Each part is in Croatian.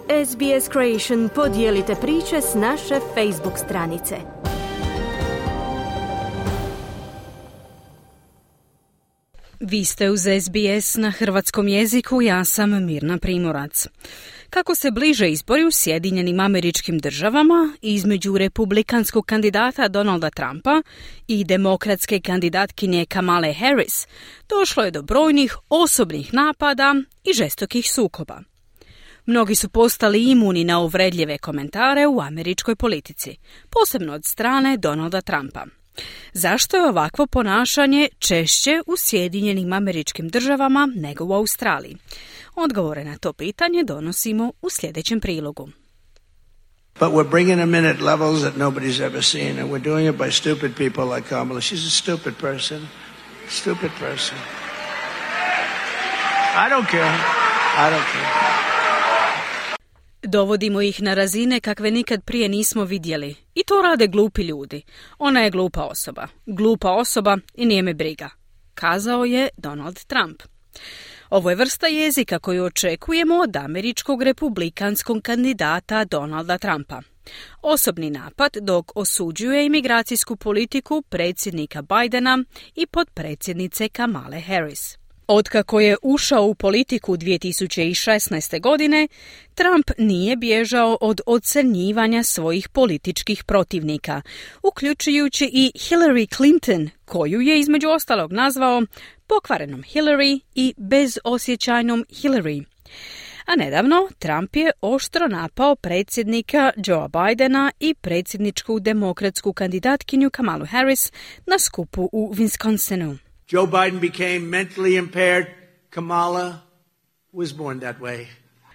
SBS Creation podijelite priče s naše Facebook stranice. Vi ste uz SBS na hrvatskom jeziku, ja sam Mirna Primorac. Kako se bliže izbori u Sjedinjenim Američkim Državama između republikanskog kandidata Donalda Trumpa i demokratske kandidatkinje Kamale Harris, došlo je do brojnih osobnih napada i žestokih sukoba. Mnogi su postali imuni na uvredljive komentare u američkoj politici, posebno od strane Donalda Trumpa. Zašto je ovakvo ponašanje češće u Sjedinjenim Američkim Državama nego u Australiji? Odgovore na to pitanje donosimo u sljedećem prilogu. But we're bringing them in at levels that nobody's ever seen, and we're doing it by stupid people like Kamala. She's a stupid person. Stupid person. I don't care. Dovodimo ih na razine kakve nikad prije nismo vidjeli. I to rade glupi ljudi. Ona je glupa osoba. Glupa osoba i nije me briga, kazao je Donald Trump. Ovo je vrsta jezika koju očekujemo od američkog republikanskog kandidata Donalda Trumpa. Osobni napad dok osuđuje imigracijsku politiku predsjednika Bidena i potpredsjednice Kamale Harris. Otkako je ušao u politiku 2016. godine, Trump nije bježao od ocrnjivanja svojih političkih protivnika, uključujući i Hillary Clinton, koju je između ostalog nazvao pokvarenom Hillary i bezosjećajnom Hillary. A nedavno Trump je oštro napao predsjednika Joea Bidena i predsjedničku demokratsku kandidatkinju Kamalu Harris na skupu u Wisconsinu. Joe Biden became mentally impaired. Kamala was born that way.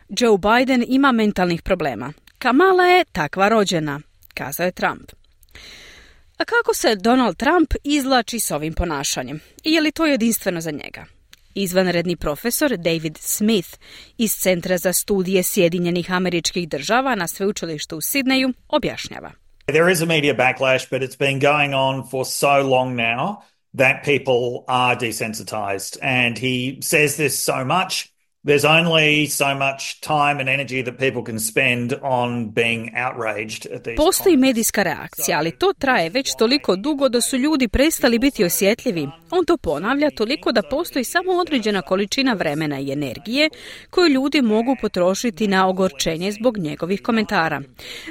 Joe Biden ima mentalnih problema. Kamala je takva rođena, kazao je Trump. A kako se Donald Trump izvlači s ovim ponašanjem? I je li to jedinstveno za njega? Izvanredni profesor David Smith iz Centra za studije Sjedinjenih Američkih Država na sveučilištu u Sidneju objašnjava. There is a media backlash, but it's been going on for so long now that people are desensitized. And he says this so much, there's only so much time and energy that people can spend on being outraged at these. Postoji medijska reakcija, ali to traje već toliko dugo da su ljudi prestali biti osjetljivi. On to ponavlja toliko da postoji samo određena količina vremena i energije koju ljudi mogu potrošiti na ogorčenje zbog njegovih komentara.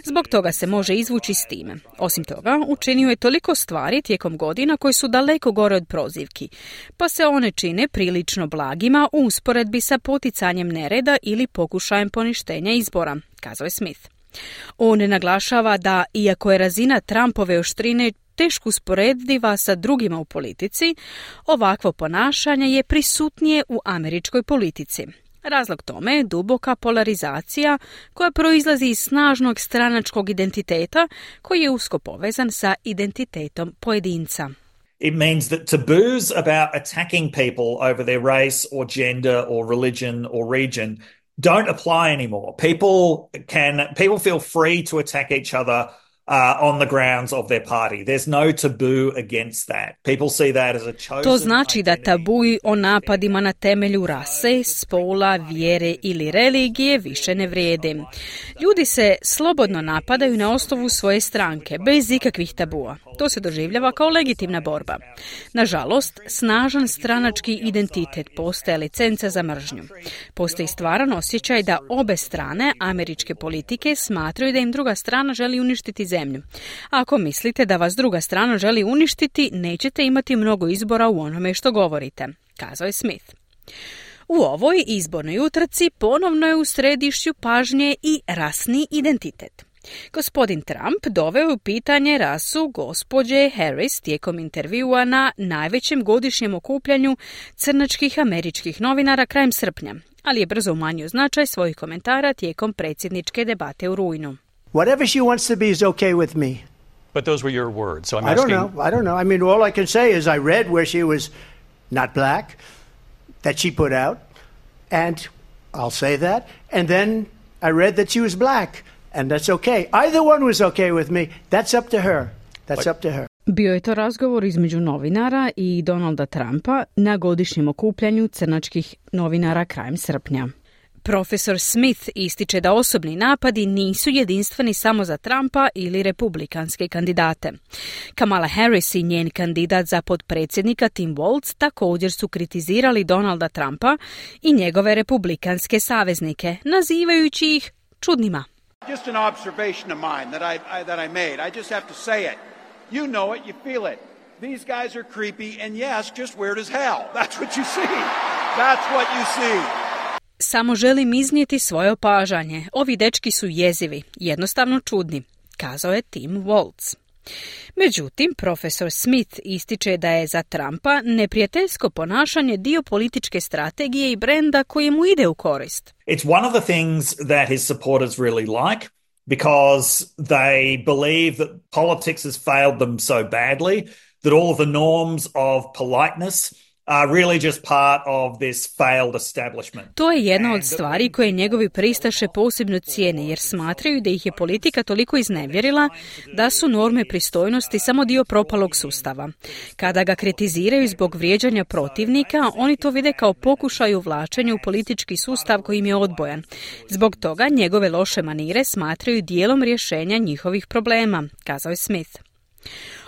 Zbog toga se može izvući s time. Osim toga, učinio je toliko stvari tijekom godina koji su daleko gore od prozivki, pa se one čine prilično blagima u usporedbi sa poticanjem nereda ili pokušajem poništenja izbora, kazao je Smith. On naglašava da, iako je razina Trumpove oštrine teško usporediva sa drugima u politici, ovakvo ponašanje je prisutnije u američkoj politici. Razlog tome je duboka polarizacija koja proizlazi iz snažnog stranačkog identiteta koji je usko povezan sa identitetom pojedinca. It means that taboos about attacking people over their race or gender or religion or region don't apply anymore. People feel free to attack each other on the grounds of their party. There's no taboo against that. People see that as a chosen. To znači da tabuji o napadima na temelju rase, spola, vjere ili religije više ne vrijede. Ljudi se slobodno napadaju na osnovu svoje stranke, bez ikakvih tabua. To se doživljava kao legitimna borba. Nažalost, snažan stranački identitet postaje licenca za mržnju. Postoji stvaran osjećaj da obe strane američke politike smatraju da im druga strana želi uništiti zemlju. Ako mislite da vas druga strana želi uništiti, nećete imati mnogo izbora u onome što govorite, kazao je Smith. U ovoj izbornoj utrci ponovno je u središću pažnje i rasni identitet. Gospodin Trump doveo u pitanje rasu gospođe Harris tijekom intervjua na najvećem godišnjem okupljanju crnačkih američkih novinara krajem srpnja, ali je brzo umanjio značaj svojih komentara tijekom predsjedničke debate u rujnu. Whatever she wants to be is okay with me. But those were your words, so I'm I asking... don't know. I mean, all I can say is I read where she was not black, that she put out, and I'll say that. And then I read that she was black, and that's okay. Either one was okay with me. That's up to her. Up to her. Bio je to razgovor između novinara i Donalda Trumpa na godišnjem okupljanju crnačkih novinara krajem srpnja. Profesor Smith ističe da osobni napadi nisu jedinstveni samo za Trumpa ili republikanske kandidate. Kamala Harris i njen kandidat za potpredsjednika Tim Walz također su kritizirali Donalda Trumpa i njegove republikanske saveznike, nazivajući ih čudnima. Just an observation of mine that I made. I just have to say it. You know it, you feel it. These guys are creepy and yes, just weird as hell. That's what you see. That's what you see. Samo želim iznijeti svoje opažanje. Ovi dečki su jezivi, jednostavno čudni, kazao je Tim Walz. Međutim, profesor Smith ističe da je za Trumpa neprijateljsko ponašanje dio političke strategije i brenda koji mu ide u korist. It's one of the things that his supporters really like because they believe that politics has failed them so badly that all of the norms of politeness are really just part of this failed establishment. To je jedna od stvari koje njegovi pristaše posebno cijene jer smatraju da ih je politika toliko iznevjerila da su norme pristojnosti samo dio propalog sustava. Kada ga kritiziraju zbog vrijeđanja protivnika, oni to vide kao pokušaj uvlačenja u politički sustav koji im je odbojan. Zbog toga njegove loše manire smatraju dijelom rješenja njihovih problema, kazao je Smith.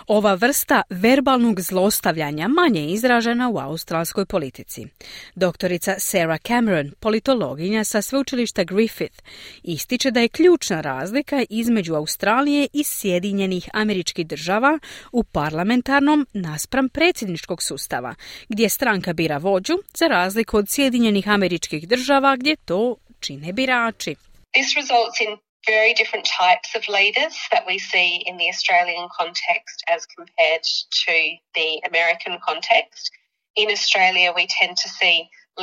Ova vrsta verbalnog zlostavljanja manje je izražena u australskoj politici. Doktorica Sarah Cameron, politologinja sa sveučilišta Griffith, ističe da je ključna razlika između Australije i Sjedinjenih Američkih Država u parlamentarnom naspram predsjedničkog sustava, gdje stranka bira vođu, za razliku od Sjedinjenih Američkih Država gdje to čine birači. This results in very different types of leaders that we see in the Australian context as compared to the American context. In Australia, we tend to see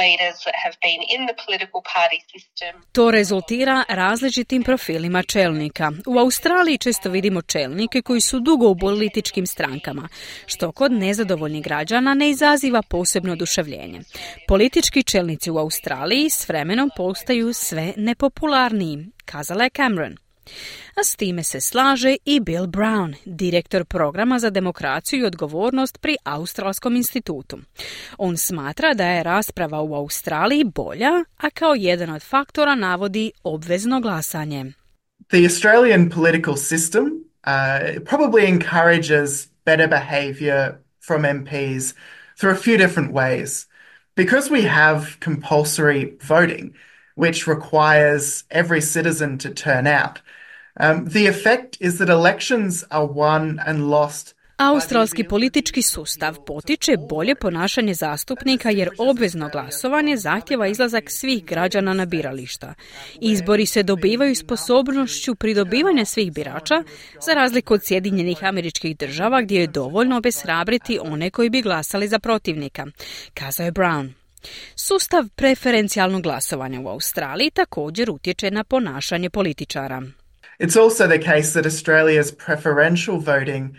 leaders that have been in the political party system. To rezultira različitim profilima čelnika. U Australiji često vidimo čelnike koji su dugo u političkim strankama, što kod nezadovoljnih građana ne izaziva posebno oduševljenje. Politički čelnici u Australiji s vremenom postaju sve nepopularniji, kazala je Cameron. A s time se slaže i Bill Brown, direktor programa za demokraciju i odgovornost pri Australskom institutu. On smatra da je rasprava u Australiji bolja, a kao jedan od faktora navodi obvezno glasanje. The Australian political system probably encourages better behaviour from MPs through a few different ways. Because we have compulsory voting, which requires every citizen to turn out, the effect is that elections are won and lost. Australski politički sustav potiče bolje ponašanje zastupnika jer obvezno glasovanje zahtjeva izlazak svih građana na birališta. Izbori se dobivaju sposobnošću pridobivanja svih birača, za razliku od Sjedinjenih Američkih Država gdje je dovoljno obeshrabriti one koji bi glasali za protivnika, kazao je Brown. Sustav preferencijalnog glasovanja u Australiji također utječe na ponašanje političara. It's also the case that Australia's preferential voting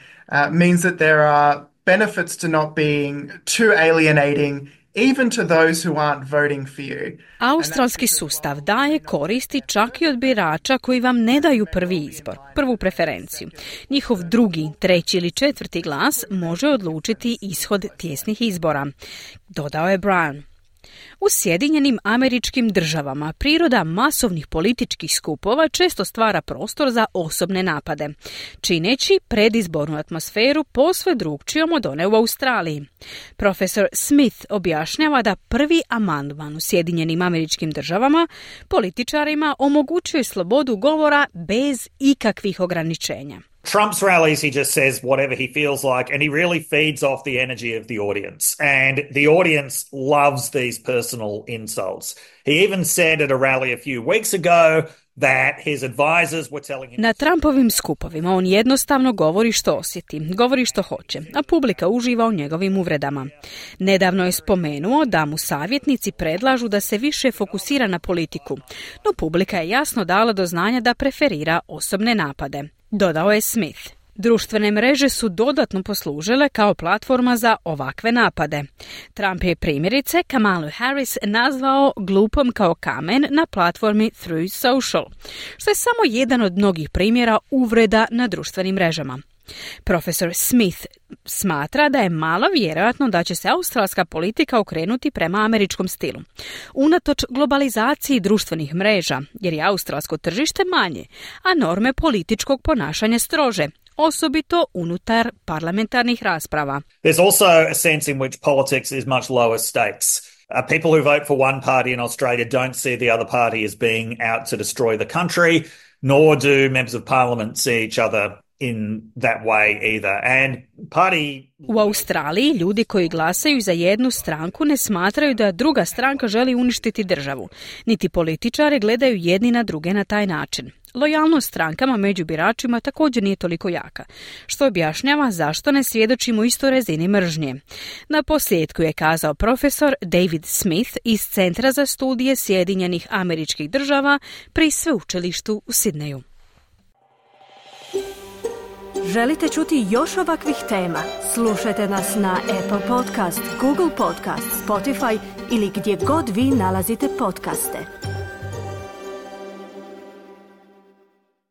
means that there are benefits to not being too alienating even to those who aren't voting for you. Australski sustav daje koristi čak i od birača koji vam ne daju prvi izbor, prvu preferenciju. Njihov drugi, treći ili četvrti glas može odlučiti ishod tijesnih izbora, dodao je Brown. U Sjedinjenim Američkim Državama priroda masovnih političkih skupova često stvara prostor za osobne napade, čineći predizbornu atmosferu posve drukčijom od one u Australiji. Profesor Smith objašnjava da prvi amandman u Sjedinjenim Američkim Državama političarima omogućuje slobodu govora bez ikakvih ograničenja. Trump's rallies, he just says whatever he feels like, and he really feeds off the energy of the audience. And the audience loves these personal insults. He even said at a rally a few weeks ago that his advisors were telling him... Na Trumpovim skupovima on jednostavno govori što osjeti, govori što hoće, a publika uživa u njegovim uvredama. Nedavno je spomenuo da mu savjetnici predlažu da se više fokusira na politiku, no publika je jasno dala do znanja da preferira osobne napade, dodao je Smith. Društvene mreže su dodatno poslužile kao platforma za ovakve napade. Trump je primjerice Kamalu Harris nazvao glupom kao kamen na platformi Truth Social, što je samo jedan od mnogih primjera uvreda na društvenim mrežama. Profesor Smith smatra da je malo vjerojatno da će se australska politika okrenuti prema američkom stilu. Unatoč globalizaciji društvenih mreža, jer je australsko tržište manje, a norme političkog ponašanja strože, osobito unutar parlamentarnih rasprava. There's also a sense in which politics is much lower stakes. People who vote for one party in Australia don't see the other party as being out to destroy the country, nor do members of parliament see each other in that way either. And U Australiji ljudi koji glasaju za jednu stranku ne smatraju da druga stranka želi uništiti državu. Niti političari gledaju jedni na druge na taj način. Lojalnost strankama među biračima također nije toliko jaka, što objašnjava zašto ne svjedočimo istoj razini mržnje. Na posljedku je kazao profesor David Smith iz Centra za studije Sjedinjenih Američkih Država pri sveučilištu u Sidneju. Želite čuti još ovakvih tema? Slušajte nas na Apple Podcast, Google Podcast, Spotify ili gdje god vi nalazite podcaste.